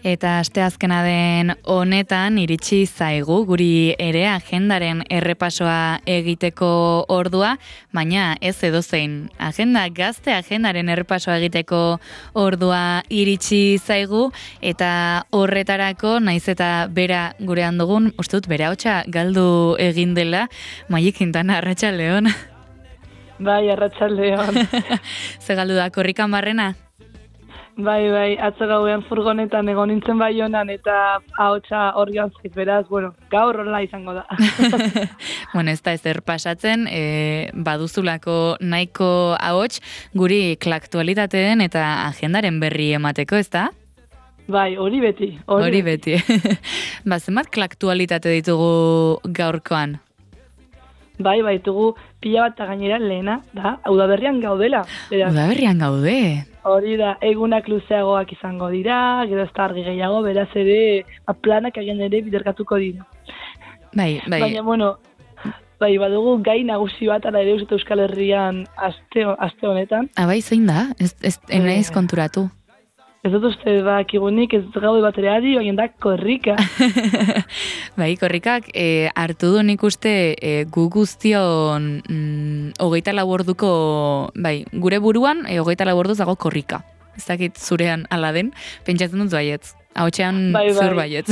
Eta asteazkena den honetan iritsi zaigu guri ere agendaren errepasoa egiteko ordua, baina ez edozein agenda, gazte agendaren errepasoa egiteko ordua iritsi zaigu, eta horretarako naiz eta bera gurean dugun, uste dut bere ahotsa galdu egin dela, Maia Quintana, arratsaldeon. Bai, arratsaldeon. Ze galdu da, korrikan barrena? Bai, atzo gauean furgonetan egon nintzen Baionan eta ahotsa hor joan zait, beraz, gaur horrela izango da. Bueno, ez da ezer pasatzen, baduzulako nahiko ahots guri klaktualitateen eta agendaren berri emateko, ez da? Bai, hori beti. Hori beti. Zenbat klaktualitate ditugu gaurkoan? Bai, ditugu pila bat gainera lehena, da, udaberrian gaudela. Udaberrian gaude. Hori da, egunak luzeagoak izango dira, gero ez da argi gehiago, beraz ere, planak egin ere biderkatuko dira. Bai. Baina, badugu gai nagusi bat, ala ere uste Euskal Herrian aste honetan. Bai, zein da? Ez konturatu. Ez dut uste bakigunik, ez gaude bat ere adi, baina da korrika. Bai, korrikak hartu du nik uste gu guztion 24 orduko, bai, gure buruan 24 orduz dago korrika. Ez dakit zurean ala den, pentsatzen dut baietz. Ahotsean zur baietz.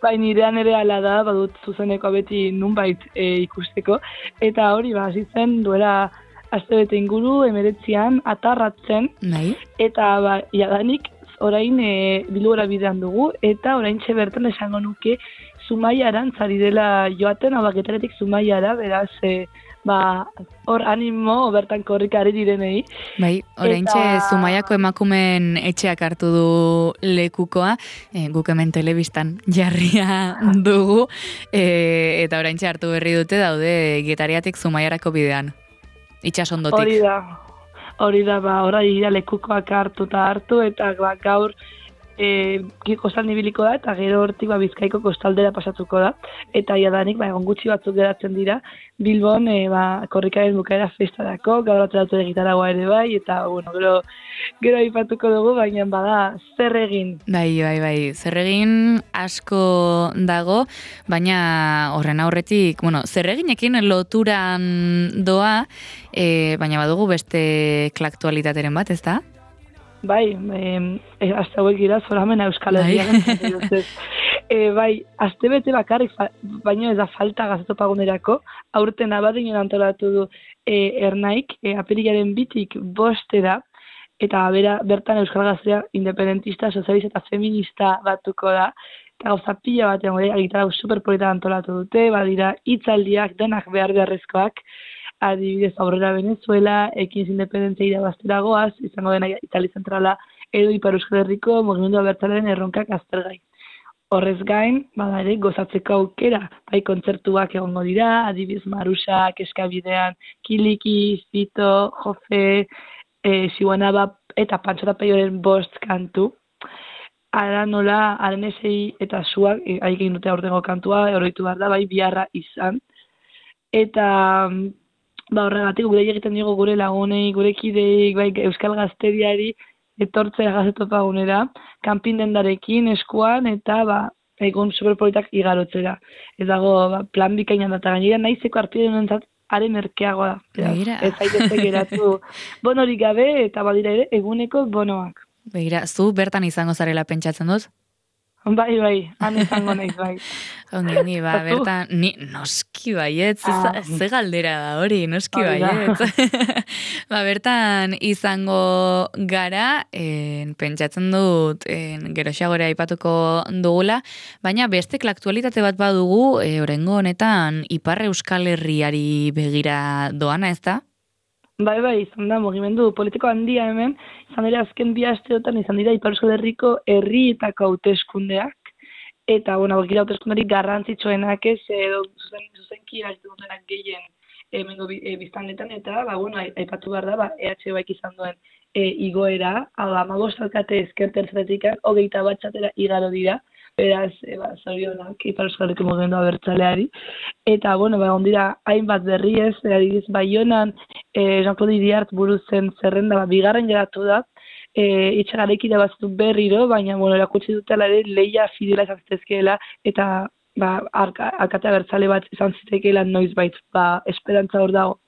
Bai, nirean ere ala da, badut zuzeneko beti nunbait ikusteko. Eta hori, hasitzen duela astebete inguru, 19an, atarratzen, eta jadanik orain bilugora bidean dugu, eta orain bertan esango nuke Zumaiaran zari dela joaten, Getaretik Zumaiara, beraz, hor animo bertan korrika ari direnei. Bai, orain Zumaiako emakumen etxeak hartu du lekukoa, guk hemen telebistan jarria dugu, eta orain hartu berri dute daude Getariatik Zumaiarako bidean. Itxasondotik. Hori da, orai lekukoak hartu, eta gaur kostalde ibiliko da, eta gero hortik Bizkaiko kostaldera pasatuko da, eta jadanik egon gutxi batzuk geratzen dira, Bilbon korrikaren bukaera festarako, gaur atzeratu egitaragoa ere bai, eta gero aipatuko dugu, baina bada zer egin. Bai, zer egin asko dago, baina horren aurretik, zer eginekin loturan doa, baina badugu beste klaktualitateren bat, ez da? Bai, azte hauek gira, zoramena Euskal Herrian. Bai, azte bete bakarrik, baina ez da falta gazetopagunerako, aurten abadinen antolatu du Ernaik, apirilaren 2tik 5 eta bertan Euskal Gaztea independentista, sozialista eta feminista batuko da, eta gauza pila batean gitarra superpolita antolatu dute, badira hitzaldiak denak beharrezkoak, adibidez aurrera Venezuela, ekin independentzia irabaztera goaz, izango dena Itali zentrala edo Ipar Euskal Herriko mugimendu abertzalearen erronkak aztergai. Horrez gain, ere gozatzeko aukera, kontzertuak egongo dira, adibidez Marusa, Keskabidean, Kiliki, Zito, Jofe, Siwanaba eta Pantxota Peioren 5 kantu. Ara nola, Arenesei eta Suak, egin dute aurtengo kantua, oroitu behar da, biharra izan. Eta horregatik gure egiten digu gure lagunei, gure kideik, Euskal Gazteriari etortzea gazetopagunera, kanpin dendarekin, eskuan, eta egun superpolitak igarotzera. Ez dago plan bikainan data gainera, nahizeko arpide denentzat haren erkeagoa da. Ez zaitezte geratu bonorik gabe, eta badira ere eguneko bonoak. Begira, zu bertan izango zarela pentsatzen dut? Bai, han izango naiz, bai. Ongi, bertan, ni noski baietz, ze galdera da hori, noski baietz. Bertan izango gara, pentsatzen dut, geroxagora aipatuko dugula, baina beste aktualitate bat badugu, orengo honetan, Ipar Euskal Herriari begira doana, ez da? Bai, izan da, mugimendu politiko handia hemen, izan dira azken 2 asteotan izan dira Ipar Euskal Herriko herrietako hauteskundeak, eta, gira hauteskundari garrantzitsuenak ez, zuzenki dutenak gehien hemengo biztanletan, eta, aipatu behar da, EH izan duen igoera, 15 alkate ezkertertzetik 21 batxatera igaro dira, beraz, zorionak Ipar Euskal Herriko mugimendu abertzaleari, eta, egon dira hainbat berri ez, adibidez Baionan, Jean-Claude Iriart buruzen zerrenda, 2. geratu da, itxagarekide batzu berriro, baina, bueno, erakutsi dutela ere leia fidela izan zitezkeela, eta alkatea bertzale bat izan zitekeela noizbait, esperantza hor dago.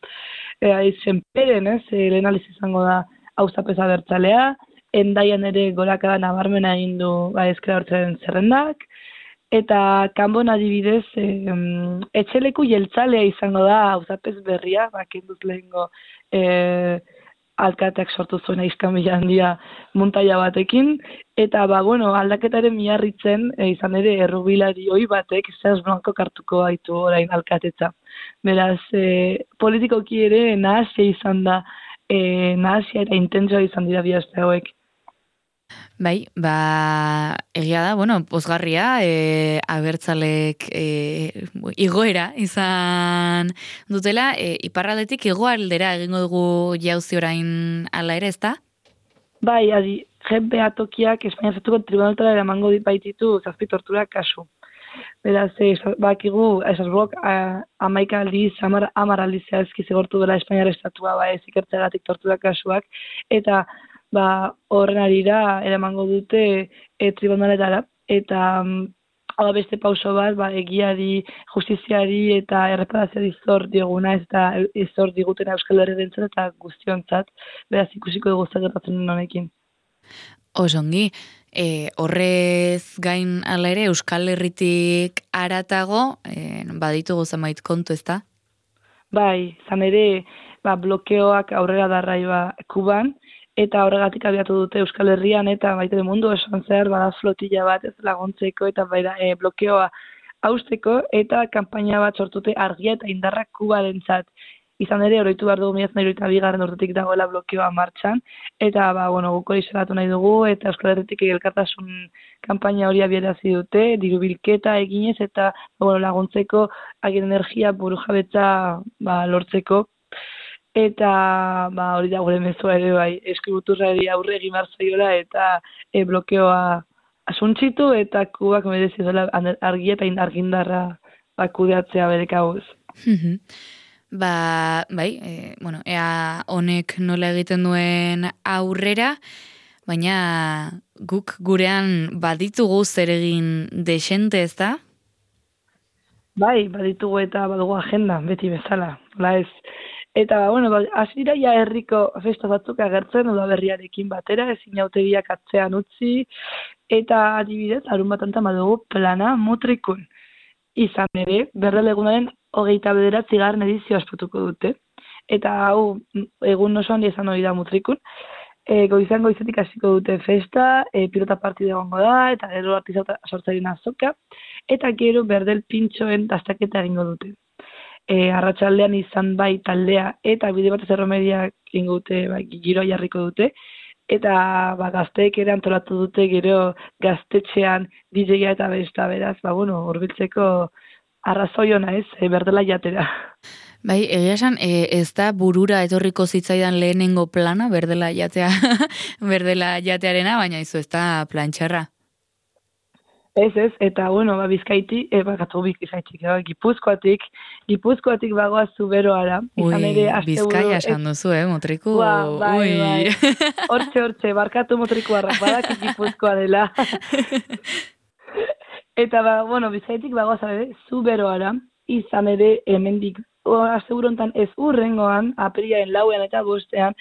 Zenperen, lehen aliz izango da auzapeza bertzalea, Endaian ere gorakada nabarmena egin du ezker abertzalearen zerrendak, eta kanbon adibidez, etxeleku jeltzalea izango da auzapez berria, kenduz lehengo alkateak sortu zuen aizkamila handia muntaia batekin, eta aldaketaren miarritzen izan ere errubilari hoi batek zehaz blanko kartuko baitu orain alkatetza. Beraz, politikoki ere nahasia izan da, nahasia eta intentzioa izan dira bi aste hauek. Bai, egia da, pozgarria, abertzalek igoera izan dutela, iparraldetik hegoaldera egingo dugu jauzi orain ala ere, ezta? Bai, jenbe atokiak Espainia Estatuko tribunaltara eramango baititu 7 tortura kasu. Beraz, bakigu, Estrasburgok 11 aldiz, 10 aldiz zehazki zigortu dela Espainiar Estatua, ez ikertzeagatik tortura kasuak, eta horren arira eramango dute tribunaletara, eta beste pauso bat, egiari, justiziari eta erreparazioari zor dioguna, eta zor diguten Euskal Herriarentzat eta guztiontzat, beraz ikusiko dugu zer gertatzen honekin. Osongi, horrez gain ala ere Euskal Herritik haratago, baditugu zenbait kontu, ezta? Bai, izan ere, blokeoak aurrera darraioa Kuban, eta horregatik abiatu dute Euskal Herrian, eta baita mundu esan zehar, flotilla bat ez laguntzeko, eta blokeoa hausteko, eta kanpaina bat sortute argia eta indarrak Kubarentzat. Izan ere, oroitu behar dugu 1992 urtetik dagoela blokeoa martxan, eta guk hori salatu nahi dugu, eta Euskal Herritik elkartasun kanpaina hori abiarazi dute, diru bilketa eginez, eta laguntzeko agien energia burujabetza lortzeko. Eta hori da gure mezua ere bai, eskributurrari aurre egin marzaiola eta blokeoa asuntzitu eta Kubak merezi dela argia eta argindarra kudeatzea bere kabuz. Ea honek nola egiten duen aurrera, baina guk gurean baditugu zer egin desente, ez da? Bai, baditugu eta badugu agenda, beti bezala. Ez. Eta, hasi dira ja herriko festa batzuk agertzen, udaberriarekin batera, ezin jautegiak atzean utzi, eta adibidez, larun batantan badugu plana mutrikun. Izan ere, berrelegunaren 29. edizio aspatuko dute. Eta hau, egun osoan izan hori da mutrikun. Goizan goizetik hasiko dute festa, pilota partida egongo da, eta gero artista sortzaileen azoka, eta gero berdel pintxoen dastaketa egingo dute. Arratsaldean izan bai taldea eta bide batez erromediak egingo dute, giroa jarriko dute, eta gazteek ere antolatu dute gero gaztetxean DJ-a eta besta, beraz, hurbiltzeko arrazoi ona ez, berdela jatera. Bai, egia esan, ez da burura etorriko zitzaidan lehenengo plana, berdela jatearena, baina izu ez da plantxarra. Ez, eta, Bizkaiti, Gipuzkoatik bagoaz Zuberoara. Bizkaia esan duzu, motriku. Bai. Hortxe, barkatu motrikuarrak, badakit Gipuzkoa dela. Eta, Bizkaitik bagoaz Zuberoara, izan ere, hemendik, asegurontan ez urrengoan, apiriaren 4 eta 5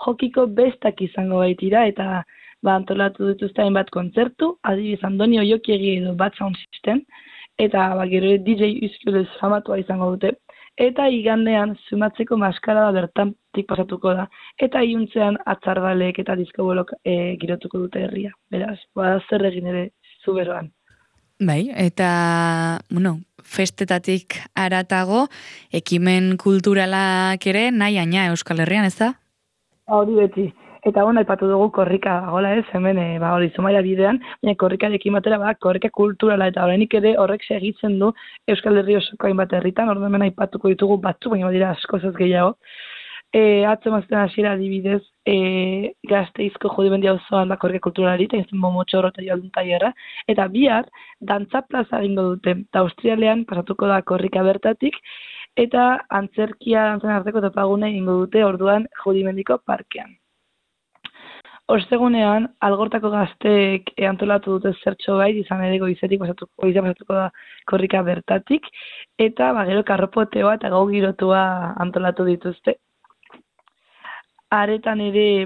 jokiko bestak izango baitira, eta antolatu dituzte hainbat kontzertu, adibidez Andoni Oiokiegi edo Bad Sound System, eta gero DJ Uzkiolez famatua izango dute, eta igandean Zumatzeko maskarada bertantik pasatuko da, eta iuntzean atzarbalek eta diskobolok girotuko dute herria. Beraz, zer egin ere Zuberoan. Bai, eta, festetatik haratago, ekimen kulturalak ere nahi Euskal Herrian, ez da? Hori beti. Eta aipatu dugu korrika dagoela ez, hemen Zumaia bidean, baina korrikarekin batera korrika kulturala, eta horrenik ere horrek segitzen du Euskal Herri osoko hainbat herritan, orduan hemen aipatuko ditugu batzu, baina badira askoz ez gehiago. Atzo mazten hasiera adibidez, Gasteizko Judimendi auzoan korrika kulturalari, eta izan Momotxorro eta Jaldun tailerra, eta bihar dantza plaza egingo dute, eta Austrialean pasatuko da korrika bertatik, eta antzerkia dantzen arteko topagune egingo dute orduan Judimendiko parkean. Ostegunean, Algortako gazteek antolatu dute zertxo bait, izan ere goizetik pasatuko da korrika bertatik, eta gero karropoteoa eta gau girotua antolatu dituzte. Aretan ere,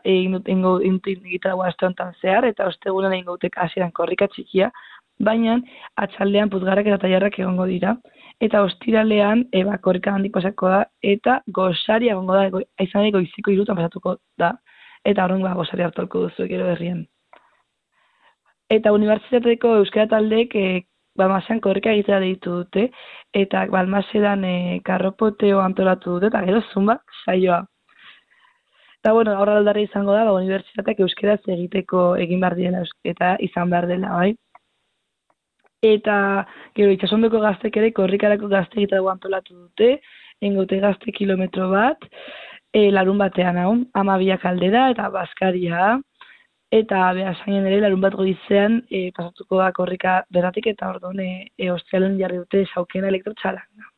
egin egitaragoa aste honetan zehar, eta ostegunean egin gautek hasieran korrika txikia, baina atxaldean puzgarrak eta tailarrak egongo dira, eta ostiralean korrika handik pasako da, eta gosaria egongo da, izan ere goiziko 3 pasatuko da, eta horren gosari hartolko duzu gero herrian. Eta unibertsitateko euskara taldeek Balmasean korrika egitea deitu dute, eta Balmasean karropoteo antolatu dute, eta gero zumba saioa. Eta bueno, aurra aldarri izango da, unibertsitateak euskaraz egiteko egin behar dela eta izan behar dela, bai. Eta gero itxasondoko gaztek ere korrikarako gazte egitarago antolatu dute, engote gazte kilometro bat, larun batean hau, 12 aldera eta Baskaria, eta behasainen ere larun bat goizean pasatuko da korrika berratik eta orduan ostialen jarri dute saukena elektrotxalanga.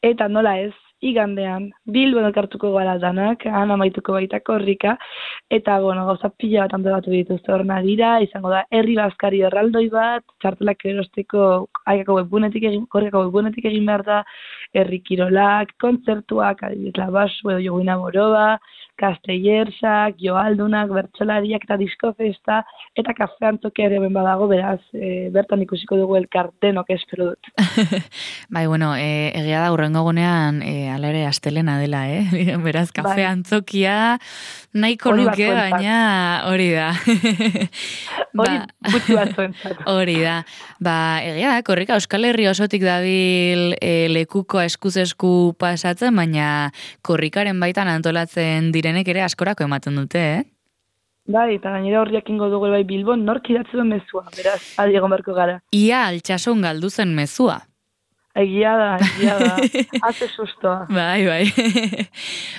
Eta nola ez, igandean, Bilbon elkartuko gara danak, han amaituko baita korrika, eta gauza pila bat antolatu dituzte hor nadira, izango da herri Baskari erraldoi bat, txartelak erosteko korrikako webgunetik egin behar da, herri kirolak, kontzertuak, adibidez Labasu edo Joguina Boroba, Castellersak, Joaldunak, bertsolariak eta diskofesta, eta kafean toke ere ben badago, beraz, bertan ikusiko dugu elkartenok espero dut. Bai, bueno, egia da urrengo gunean, ala ere astelena dela, beraz, kafe antzokia nahiko nuke, baina hori da. Hori gutxi batzuentzat. Hori da. Egia da, korrika Euskal Herri osotik dabil lekuko eskuz esku pasatzen, baina korrikaren baitan antolatzen direnek ere askorako ematen dute, Bai, eta gainera horriak ingo dugu bai Bilbon, nork idatzi duen mezua, beraz, adi egon beharko gara. Ia altsasun galdu zen mezua. Egia da. Haze sustoa. Bai.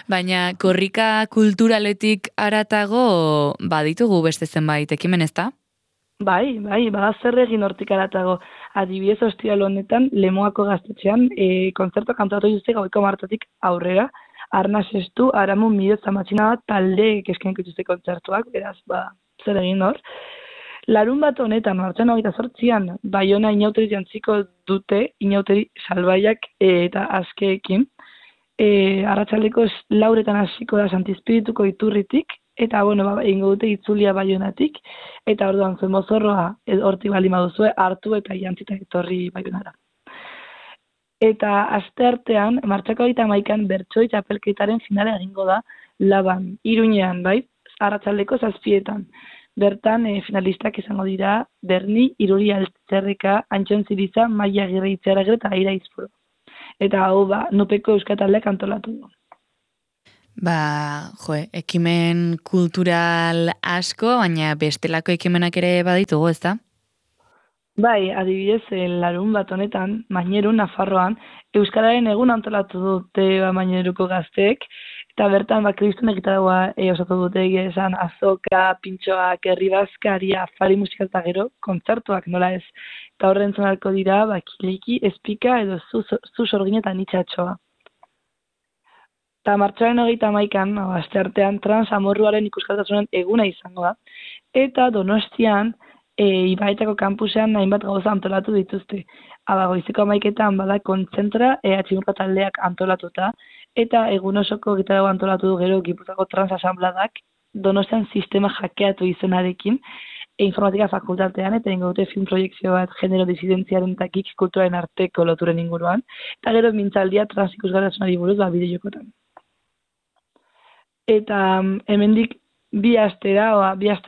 Baina korrika kulturaletik aratago baditugu beste zenbait ekimen ezta? Bai, bada zer egin hortik aratago. Adibidez ostiral honetan, Lemoako gaztetxean, kontzertuak antolatu dituzte gaueko martatik aurrera, Arnaz Estu, Aramun Mido Zamatxina bat taldeek eskainiko dituzte kontzertuak, beraz, zer egin hor. Larun bat honetan, martxan 28an, Baiona inauteri jantziko dute, inauteri salbaiak eta askeekin. Arratsaldeko 4 hasiko da Santizpirituko iturritik, eta, egingo dute itzulia Baionatik, eta orduan zuen mozorroa hortik baldin baduzue hartu eta jantzita etorri Baionara. Eta asteartean, martxako 31an bertsoi txapelketaren finala egingo da Laban, Iruñean, bai, arratsaldeko 7etan. Bertan, finalistak izango dira Berni, Iruri Altzerreka, Antxon Ziriza, Maia Agirre Itxaragre eta Aira Izpuro. Eta hau, Nupeko euskataldeak antolatu du. Ekimen kultural asko, baina bestelako ekimenak ere baditugu, ezta? Bai, adibidez, larun bat honetan, Mainerun, Nafarroan, Euskararen egun antolatu dute Maineruko gazteek, eta bertan kristun egitaragoa osatu dute esan azoka, pintxoak, herri Baskaria, afari musika eta gero, kontzertuak nola ez. Eta horren zonarko dira, Kiliki, Espika edo zu sorgin eta nitxatxoa. Eta martxoaren 31an, asteartean, trans amorruaren ikuskatasunen eguna izango da, eta Donostian, Ibaetako kampusean hainbat gauza antolatu dituzte. Goizeko 11etan bada kontzentra tximurka taldeak antolatuta, eta egun osoko gitarago antolatu du gero Gipuzkoako trans asambladak Donostian sistema hackeatu izenarekin, informatika fakultatean, eta ingo dute film proiekzio bat genero disidentziaren eta geek kulturaren arteko loturen inguruan, eta gero mintzaldia trans ikusgartasunari buruz bideojokotan. Eta hemendik bi aste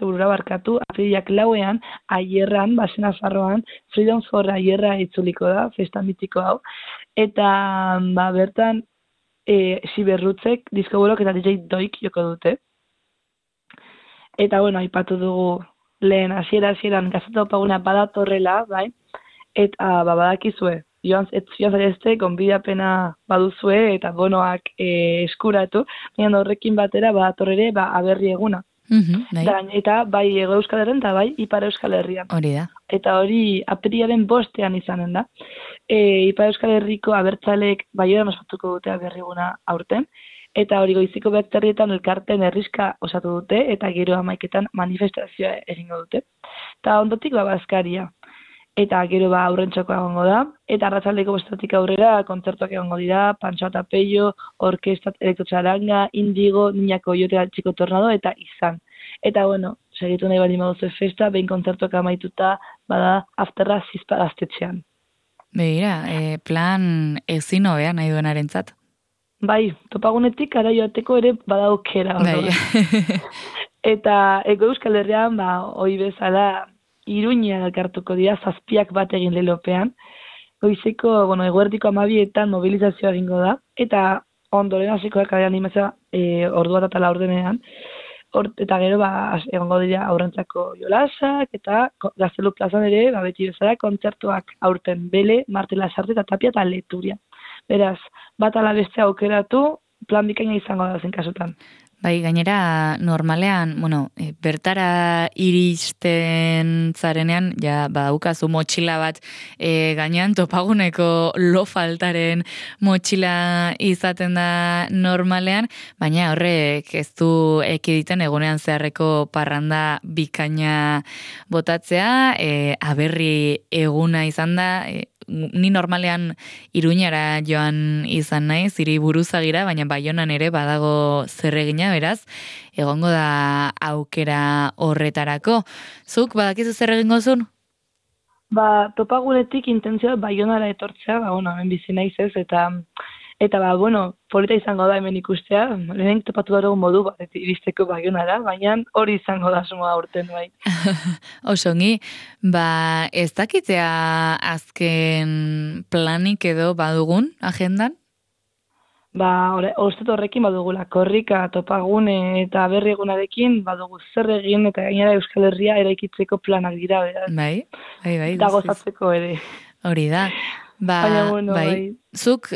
burura barkatu, apirilak 4ean, Aierran, Basen Nafarroan, Freedom for Aierra itzuliko da, festa mitiko hau, eta bertan Siberrutzek, diskobolok eta DJ Doik joko dute. Eta, aipatu dugu lehen hasieran gazeta opaguna badatorrela, bai, eta badakizue, joan zarezte, gonbidapena baduzue, eta bonoak eskuratu, baina horrekin batera badatorrere aberri eguna. Eta bai Hego Euskal Herrian eta bai Ipar Euskal Herrian. Hori da. Eta hori apirilaren 5ean izanen da. Ipar Euskal Herriko abertzaleek Baionan ospatuko dute aberri eguna aurten, eta hori goiziko 9 elkarteen herriska osatu dute, eta gero 11 manifestazioa egingo dute. Eta ondotik bazkaria. Eta gero aurrentxokoa egongo da, eta arratsaldeko 7 aurrera kontzertuak egongo dira, Pantxo eta Peio, Orkestat Elektrotxaranga, Indigo, Niña Koyote, Txiko Tornado, eta izan. Eta segitu nahi bali maduzu festa, behin kontzertuak amaituta, bada afterra Zizpa gaztetxean. Begira, plan ezin hobea nahi duenarentzat. Bai, topagunetik ara joateko ere bada aukera. Bai. Eta Euskal Herrian, hoi bezala, Iruñean elkartuko dira, 7 bat egin lelopean. Goizeko, eguerdiko 12etan mobilizazioa egingo da, eta ondoren hasiko da kale animazioa ordua eta 4 eta gero egongo dira aurrentzako jolasak, eta Gaztelu plazan ere, beti bezala, kontzertuak aurten Bele, Martela Sarte eta Tapia eta Leturia. Beraz, bat ala beste aukeratu, plan bikaina izango da zen kasutan. Bai, gainera, normalean, bertara iristen zarenean, ja, daukazu motxila bat gainean, topaguneko lo faltaren motxila izaten da normalean, baina horrek ez du ekiditen egunean zeharreko parranda bikaina botatzea, aberri eguna izan da, ni normalean Iruñara joan izan naiz, hiri buruzagira, baina Baionan ere badago zerregina, beraz, egongo da aukera horretarako. Zuk badakizu zer egingo zuen? Topagunetik intentzioa Baionara etortzea, hemen bizi naiz ez, eta polita izango da hemen ikustea, lehen topatu dago modu bat, iristeko Baionara, baina hori izango da suma aurten bai. Osongi, ez dakitea azken planik edo badugun agendan? Ostet horrekin badugula, korrika, topagune eta berri egunarekin badugu zer egin eta gainera Euskal Herria eraikitzeko planak dira, beraz. Bai. Eta gozatzeko ere. Hori da. Bai. Zuk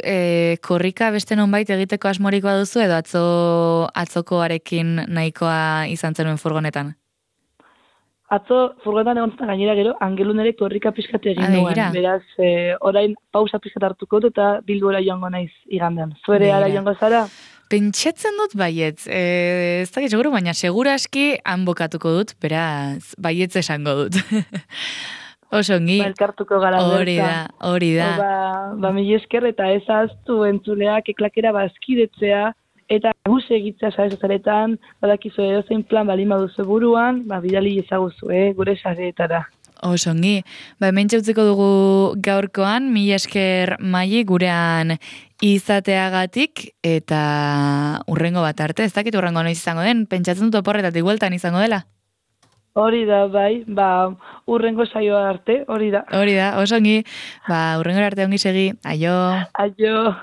korrika beste nonbait egiteko asmorik baduzu edo atzokoarekin nahikoa izan zenuen furgonetan? Atzo furgonetan egon zen gainera gero, Angelun ere korrika pixkat egin nuen. Beraz, orain pausa pixkat hartuko dut eta Bilbora joango naiz igandean. Zuere ara joango zara? Pentsatzen dut baietz. Ez dakit seguru, baina seguraski han bokatuko dut, beraz, baietz esango dut. Osongi. Elkartuko gara. Hori da. Mila esker eta ez ahaztu entzuleak eklakera bazkidetzea eta guz egitzea sarezaretan, badakizu edozein plan balin baduzu buruan, bidali ezaguzu, gure sareetara. Osongi. Hemen txautzeko dugu gaurkoan, mila esker Maili gurean izateagatik eta urrengo bat arte, ez dakit urrengo noiz izango den, pentsatzen dut oporretatik bueltan izango dela. Hori da, bai, urrengo saioa arte, hori da. Hori da, osongi, urrengo arte ongi segi, aio. Aio.